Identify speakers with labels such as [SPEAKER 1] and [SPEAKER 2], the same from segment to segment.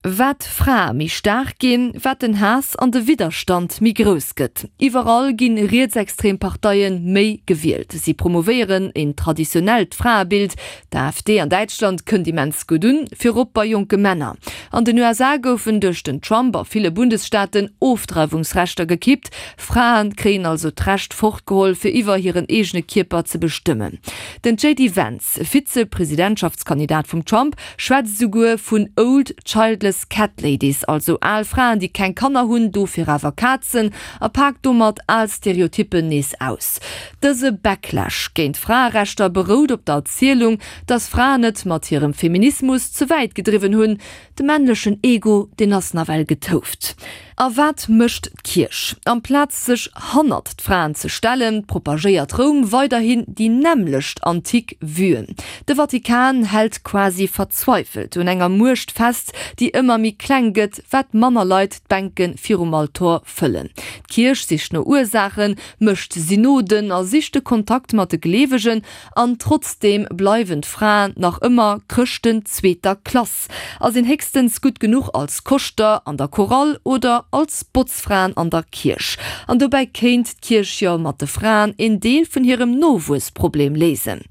[SPEAKER 1] Wat d'Frae méi staark ginn, wat den Haass an de Widderstand méi grouss gëtt. Iwwerall gi rietsextrem Parteie méi gewielt. Si promouvéieren een traditionellt Fraebild. D'AfD an Däitschland kënnt immens gutt un, virop bei jonke Männer. An den USA goufen duerch den Trump a ville Bundesstaaten Ofdreiwungsrechter gekippt. Frae kréien also d'Recht fortgeholl, fir iwwer hiren eegene Kierper ze bestëmmen. Den JD Vance, Vize-Presidentschaftskandidat vum Trump, schwätzt esouguer vun old childless cat ladies, also al Fraen, déi keng Kanner hunn, dofir awer Kazen, a paakt domat al Stereotyppen nees aus. Dëse Backlash géint Fraerechter berout op der Erzielung, dass Fraen et mat hirem Feminismus ze wäit gedriwwen hunn, De männlechen Ego, deen ass nawell getouft. A wat mécht d'Kierch? Amplaz sech hannert d'Fraen ze stellen, propagéiert Roum weiderhin déi nämmlecht antik Vuen. De Vatikan hält quasi verzweifelt un enger Muecht fest, déi ëmmer méi kleng gëtt, wat manner Leit d'Bänke virum Altor fëllen. D'Kierch sicht no Ursaachen, mécht Synoden a sicht de Kontakt mat de Gleewegen, An trotzdeem bleiwen d'Fraen nach ëmmer Chrëschten zweeter Klass a sinn héchstens gutt genuch als Koschter an der Chorale oder als Botzfraen an der Kierch. An dobäi kéint d'Kierch jo mat de Fraen een Deel vun hirem Nowuessproblem léisen.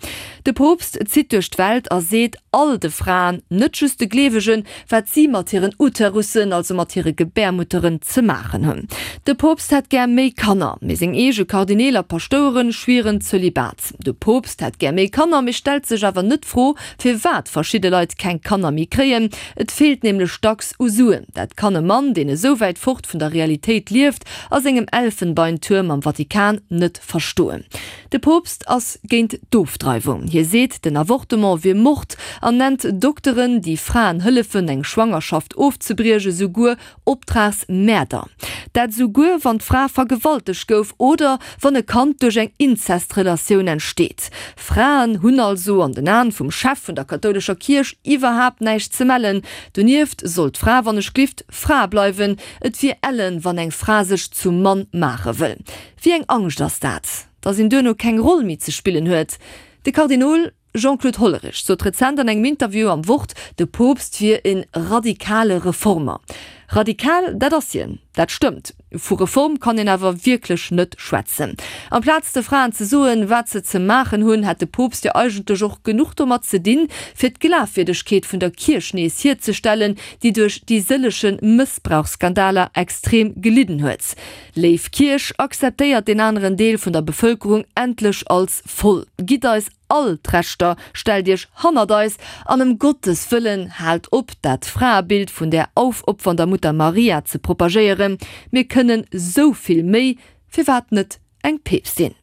[SPEAKER 1] De Poopst zitt duerch d'Welt a seet all de Fraen, net just de Gleewegen, wat si mat hiren Uterussen, also mat hire Gebärmutteren, ze maachen hunn. De Poopst hätt gär méi Kanner, mee seng eege Kardineel a Paschtoueren schwieren Zölibat. De Poopst hätt gär méi Kanner, mee stellt sech awer net d'Fro, firwat verschidde Leit keng Kanner méi kréien. Et feelt nämlech dacks u Suen. Dat kann e Mann, deen esou wäit fort vun der Realitéit lieft, a sengem Elfenbeintuerm am Vatikan net verstoen. De Poopst ass géint d'Ofdreiwung. Hie seet, den Avortement wier Mord an nennt Dokteren, déi Fraen hëllefen, eng Schwangerschaft ofzebrieche, souguer Optragsmäerder. Dat souguer, wann d'Fra vergewaltegt gouf oder wann e Kand duerch eng Inzestrelatioun entsteet. Fraen hunn also an den Aen vum Chef vun der kathoulescher Kierch iwwerhaapt näischt ze mellen. Donieft soll d'Fra, wann ech glift, Fra bleiwen. Et wier ellen, wann eng Fra sech zum Mann maache wëll. Wéi eng Angscht ass dat, datt een duerno keng Roll méi ze spillen huet? De Kardinol Jean-Claude Hollerich sot rezent an engem Interview am Wort, de Poopst wier e radikale Reformer. Radikal, dat ass hien, dat stëmmt. Vu Reform kann een awer wierklech net schwätzen. Amplaz de Fraen ze soen, wat se ze maachen hunn, hätt de Poopst jo eigentlech och genuch domat ze dinn, fir d'Glafwierdegkeet vun der Kierch nees hierzestellen, déi duerch déi sëllege Mëssbrauchsskandaler extrem gelidden huet. Léif Kierch, akzeptéiert deen aneren Deel vun der Bevëlkerung endlech als voll. Gitt eis all d'Rechter, stellt iech hannert eis an ëm Gottes Wëllen haalt op, dat Fraebild vun där aufopfernder Mutter Maria ze propagéieren. Mir kënnen sou vill méi, firwat net eng Peepstin?